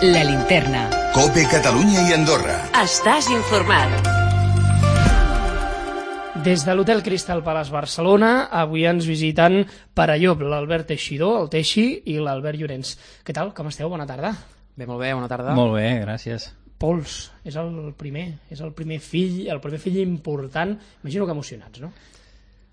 La Linterna. COPE Catalunya i Andorra. Estàs informat. Des de l'Hotel Crystal Palace Barcelona, avui ens visiten Parallop, l'Albert Teixidor, el Teixi, i l'Albert Llorenç. Què tal? Com esteu? Bona tarda. Bé, molt bé, bona tarda. Molt bé, gràcies. Pols, és el primer fill important. Imagino que emocionats, no?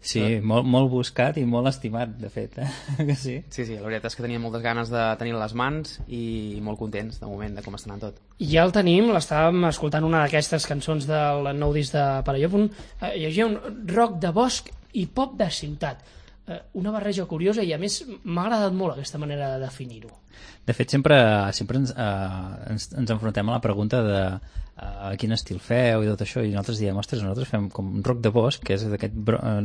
Sí, molt buscat i molt estimat, de fet. Que sí? Sí, la veritat és que tenia moltes ganes de tenir les mans i molt contents, de moment, de com està anant tot. Ja el tenim, l'estàvem escoltant una d'aquestes cançons del nou disc de Parallop, llegia un rock de bosc i pop de ciutat. Una barreja curiosa i a més m'ha agradat molt aquesta manera de definir-ho. De fet, sempre ens enfrontem a la pregunta de quin estil feu i tot això, i nosaltres diem, ostres, nosaltres fem com un rock de bosc, que és aquest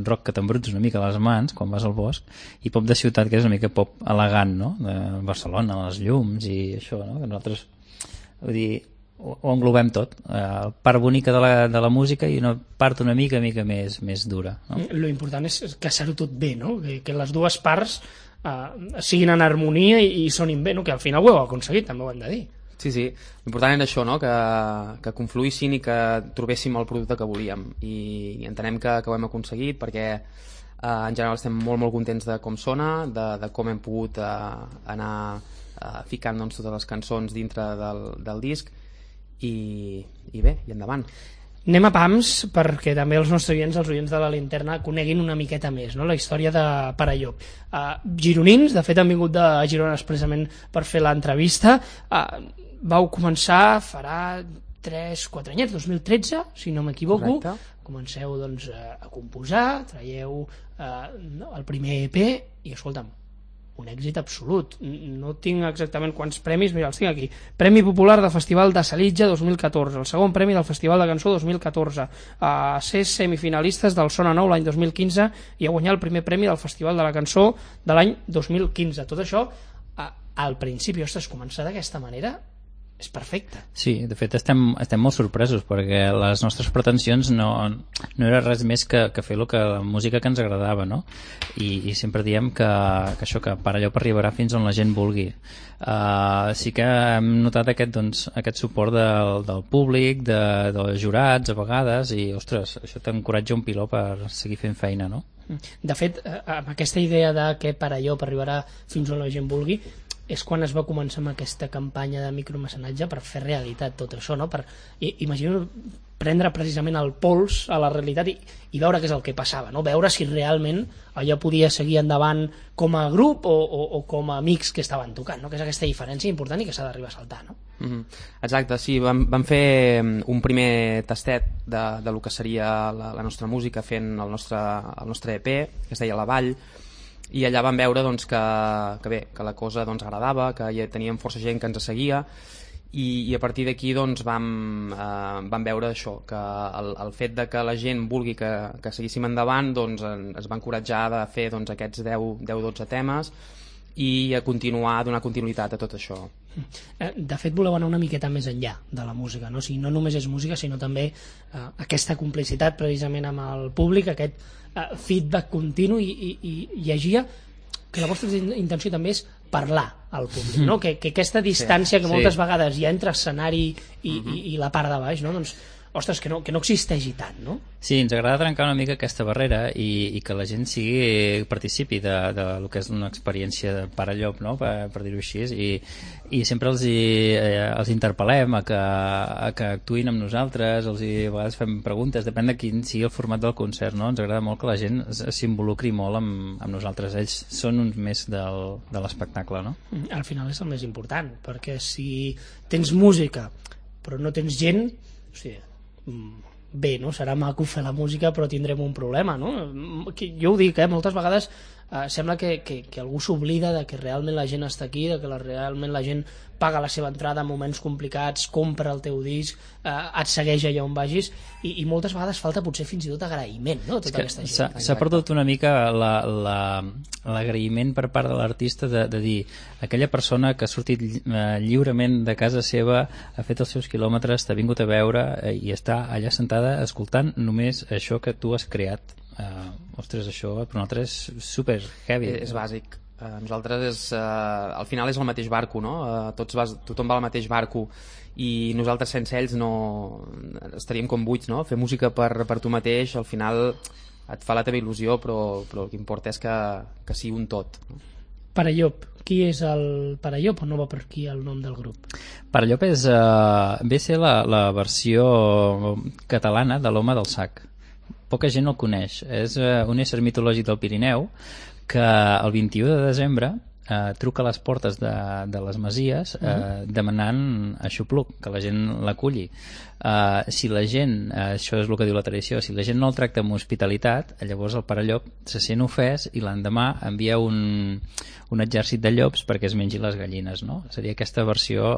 rock que t'embruts una mica a les mans quan vas al bosc, i pop de ciutat, que és una mica pop elegant, no?, de Barcelona, les llums i això, no?, que nosaltres, vull dir, ho englobem tot, la part bonica de la música i una part una mica més dura, no? Lo important és caçar-ho tot bé, no?, que les dues parts siguin en harmonia i sonin bé, no?, que al final ho heu aconseguit, també ho hem de dir. Sí, l'important era això, no?, que confluïssin i que trobéssim el producte que volíem, i entenem que ho hem aconseguit perquè en general estem molt contents de com sona, de com hem pogut anar ficant, doncs, totes les cançons dintre del disc i bé, i endavant. Anem a pams perquè també els nostres oients, els oients de la Linterna, coneguin una miqueta més, no?, la història de Parallop. Gironins, de fet han vingut de Girona expressament per fer l'entrevista. Vau començar farà 3-4 anyets, 2013, si no m'equivoco. Correcte. Comenceu, doncs, a composar, traieu el primer EP i, escolta'm, un èxit absolut. No tinc exactament quants premis, mira, els tinc aquí. Premi Popular del Festival de Salitja 2014, el segon premi del Festival de Cançó 2014, a ser semifinalistes del Sona Nou l'any 2015 i a guanyar el primer premi del Festival de la Cançó de l'any 2015. Tot això, al principi, ostres, començar d'aquesta manera és perfecte. Sí, de fet estem molt sorpresos perquè les nostres pretensions no era res més que fer la música que ens agradava, no? I sempre diem que això, que Parallop arribarà fins on la gent vulgui. Sí que hem notat aquest suport del públic, dels jurats a vegades, i ostres, això t'encoratja un piló per seguir fent feina, no? De fet, amb aquesta idea de que Parallop arribarà fins on la gent vulgui, és quan es va començar amb aquesta campanya de micromecenatge per fer realitat tot això, no? Imagino prendre precisament el pols a la realitat i veure què és el que passava, no? Veure si realment allò podia seguir endavant com a grup o com a amics que estaven tocant, no? Que és aquesta diferència important i que s'ha d'arribar a saltar, no? Exacte, sí, vam fer un primer tastet de lo que seria la nostra música fent el nostre EP, que es deia La Vall, i allà vam veure, doncs, que la cosa, doncs, agradava, que ja teníem força gent que ens seguia, i a partir d'aquí, doncs, vam veure això, que el fet de que la gent vulgui que seguíssim endavant, doncs, ens va encoratjar de fer, doncs, aquests 10-12 temes i a donar continuïtat a tot això. De fet, voleu anar una miqueta més enllà de la música, no? O sigui, no només és música, sinó també aquesta complicitat precisament amb el públic, aquest feedback continu, i llegia que la vostra intenció també és parlar al públic, no? Que aquesta distància que moltes vegades hi ha entre escenari i la part de baix, no? Doncs, ostres, que no existeixi tant, no? Sí, ens agrada trencar una mica aquesta barrera i que la gent participi de lo que és una experiència de Parallop, no?, per dir-ho així, i sempre els interpel·lem a que actuïn amb nosaltres, a vegades fem preguntes, depèn de quin sigui el format del concert, no? Ens agrada molt que la gent s'involucri molt amb nosaltres, ells són uns més de l'espectacle, no? Al final és el més important, perquè si tens música però no tens gent, o sigui, bé, no? Serà maco fer la música però tindrem un problema, no? Jo ho dic, moltes vegades sembla que algú s'oblida de que realment la gent està aquí, de que realment la gent paga la seva entrada en moments complicats, compra el teu disc, et segueix allà on vagis, i moltes vegades falta potser fins i tot agraïment, no? Tota aquesta gent. S'ha perdut una mica l'agraïment per part de l'artista de dir, aquella persona que ha sortit lliurement de casa seva, ha fet els seus quilòmetres, t'ha vingut a veure i està allà sentada escoltant només això que tu has creat. Ostres, això per nosaltres és super heavy. És bàsic. Nosaltres al final és el mateix barco, no? Tothom va al mateix barco i nosaltres sense ells no estaríem com buits, no? Fer música per tu mateix al final et fa la teva il·lusió, però el que importa és que sigui un tot, no? Parallop, qui és el Parallop o no va per aquí el nom del grup? Parallop ve a ser la versió catalana de l'Home del Sac. Poca gent el coneix. És un ésser mitològic del Pirineu que el 21 de desembre truca a les portes de les masies demanant aixopluc, que la gent l'aculli. Si la gent, això és el que diu la tradició, si la gent no el tracta amb hospitalitat, llavors el Parallop se sent ofès i l'endemà envia un exèrcit de llops perquè es mengi les gallines, no? Seria aquesta versió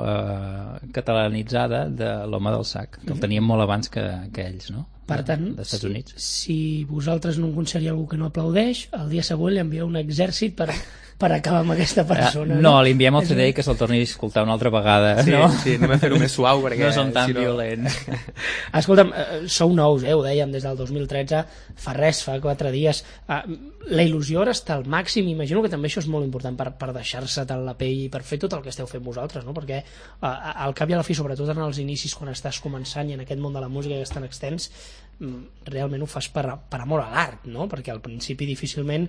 catalanitzada de l'Home del Sac, que el teníem molt abans que ells, no? Per tant, d'Estats Units. Si vosaltres no aconseguiu algú que no aplaudeix, el dia següent li envieu un exèrcit per acabar amb aquesta persona. No, li enviem el CD i que se'l torni a escoltar una altra vegada. Sí, no? Sí, anem a fer-ho més suau perquè no són tan violents. Escolta'm, sou nous, ho dèiem des del 2013, fa 4 dies. La il·lusió ara està al màxim, imagino que també això és molt important per deixar-se tant la pell i per fer tot el que esteu fent vosaltres, no? Perquè al cap i a la fi, sobretot en els inicis quan estàs començant i en aquest món de la música que és tan extens, realment ho fas per amor a l'art, no? Perquè al principi difícilment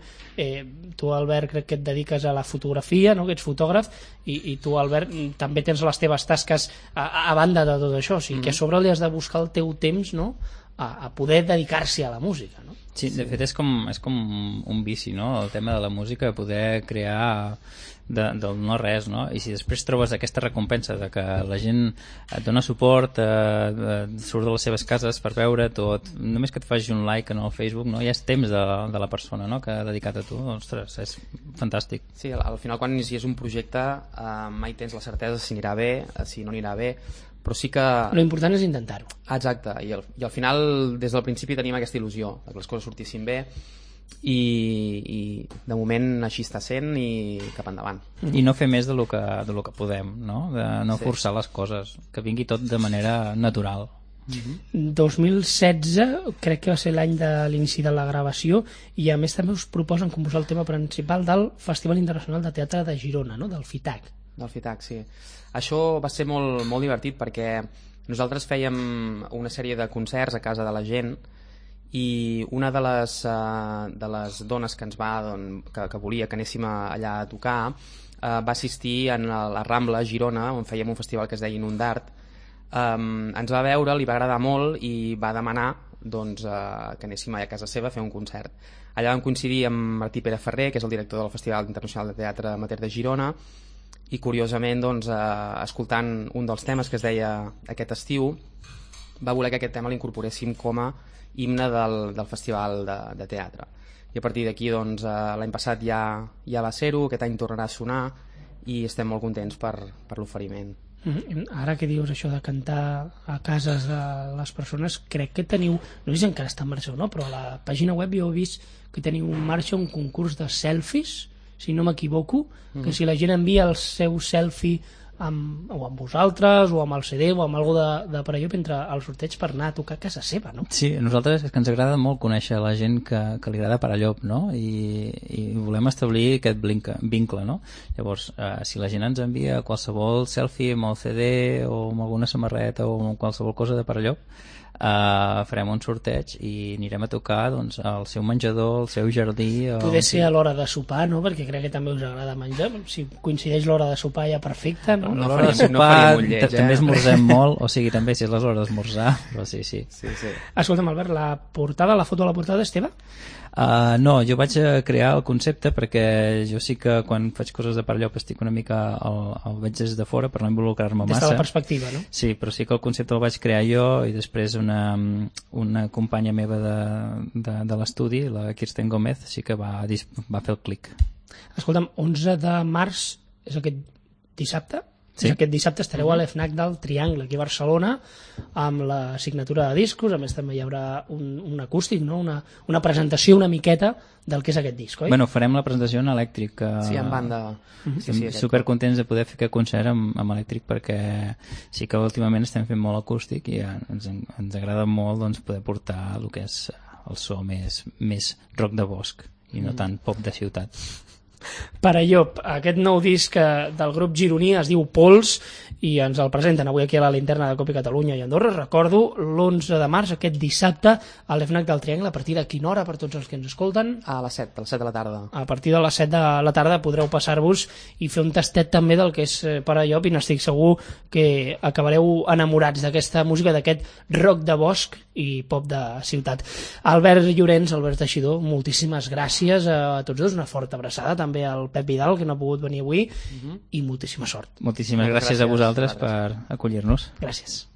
tu, Albert, crec que et dediques a la fotografia, no? Que ets fotògraf, i tu, Albert, també tens les teves tasques a banda de tot això, o sigui que a sobre li has de buscar el teu temps, no? A poder dedicar-s'hi a la música, no? Sí, de fet és com un vici, no? El tema de la música, poder crear del no res, no? I si després trobes aquesta recompensa de que la gent et dona suport, surt de les seves cases per veure tot, només que et faci un like en el Facebook, no? Ja és temps de la persona, no? Que ha dedicat a tu, ostres, és fantàstic. Sí, al final quan inicies un projecte mai tens la certesa si anirà bé, si no anirà bé, però sí que... L'important és intentar-ho. Exacte, i al final des del principi tenim aquesta il·lusió de que les coses sortissin bé i de moment així està sent i cap endavant. I no fer més de lo que podem, no? De no forçar les coses, que vingui tot de manera natural. 2016 crec que va ser l'any de l'inici de la gravació i a més també us proposen composar el tema principal del Festival Internacional de Teatre de Girona, no? Del FITAC. Del FITAC, sí. Això va ser molt, molt divertit perquè nosaltres fèiem una sèrie de concerts a casa de la gent i una de les dones que ens que volia que anéssim allà a tocar va assistir a la Rambla a Girona, on fèiem un festival que es deia Inundart. Ens va veure, li va agradar molt i va demanar que anéssim a casa seva a fer un concert. Allà vam coincidir amb Martí Pere Ferrer, que és el director del Festival Internacional de Teatre Amateur de Girona, i curiosament escoltant un dels temes que es deia Aquest estiu, va voler que aquest tema l'incorporéssim com a himne del Festival de Teatre. I a partir d'aquí l'any passat ja va ser-ho, aquest any tornarà a sonar i estem molt contents per l'oferiment. Ara que dius això de cantar a cases de les persones, crec que teniu, no sé si encara està en marxa o no, però a la pàgina web jo he vist que teniu en marxa un concurs de selfies, si no m'equivoco, que si la gent envia el seu selfie o amb vosaltres, o amb el CD, o amb alguna de Parallop entre el sorteig per anar a tocar a casa seva, no? Sí, a nosaltres és que ens agrada molt conèixer la gent que li agrada Parallop, no? I volem establir aquest vincle, no? Llavors, si la gent ens envia qualsevol selfie amb el CD o amb alguna samarreta o amb qualsevol cosa de Parallop, farem un sorteig i anirem a tocar al seu menjador, al seu jardí. Poder ser a l'hora de sopar, no? Perquè crec que també us agrada menjar. Si coincideix l'hora de sopar ja perfecte, no? L'hora de sopar també esmorzem molt, o sigui, també si és l'hora d'esmorzar, però sí. Escolta'm, Albert, la foto de la portada és teva? No, jo vaig crear el concepte perquè jo sí que quan faig coses de Parallop estic una mica el veig des de fora per no involucrar-me massa. Des de la perspectiva, no? Sí, però sí que el concepte el vaig crear jo i després una companya meva de l'estudi, la Kirsten Gómez, sí que va fer el clic. Escolta'm, 11 de març és aquest dissabte? Sí. Aquest dissabte estareu a l'FNAC del Triangle, aquí a Barcelona, amb la signatura de discos. A més també hi haurà un acústic, no? Una presentació una miqueta del que és aquest disc, oi? Bueno, farem la presentació en elèctric. Sí, en banda. Estem supercontents de poder fer aquest concert amb elèctric perquè sí que últimament estem fent molt acústic i ens agrada molt poder portar el que és el so més rock de bosc i no tant pop de ciutat. Per Allop, aquest nou disc del grup gironí es diu Pols i ens el presenten avui aquí a la linterna de Copi Catalunya i Andorra. Recordo l'11 de març, aquest dissabte, a l'EFNAC del Triangle. A partir de quina hora per tots els que ens escolten? A les 7 de la tarda. A partir de les 7 de la tarda podreu passar-vos i fer un tastet també del que és Per Allop, i n'estic segur que acabareu enamorats d'aquesta música, d'aquest rock de bosc i pop de ciutat. Albert Llorenç, Albert Teixidor, moltíssimes gràcies a tots dos, una forta abraçada també al Pep Vidal, que no ha pogut venir avui, i moltíssima sort. Moltíssimes gràcies a vosaltres per acollir-nos. Gràcies.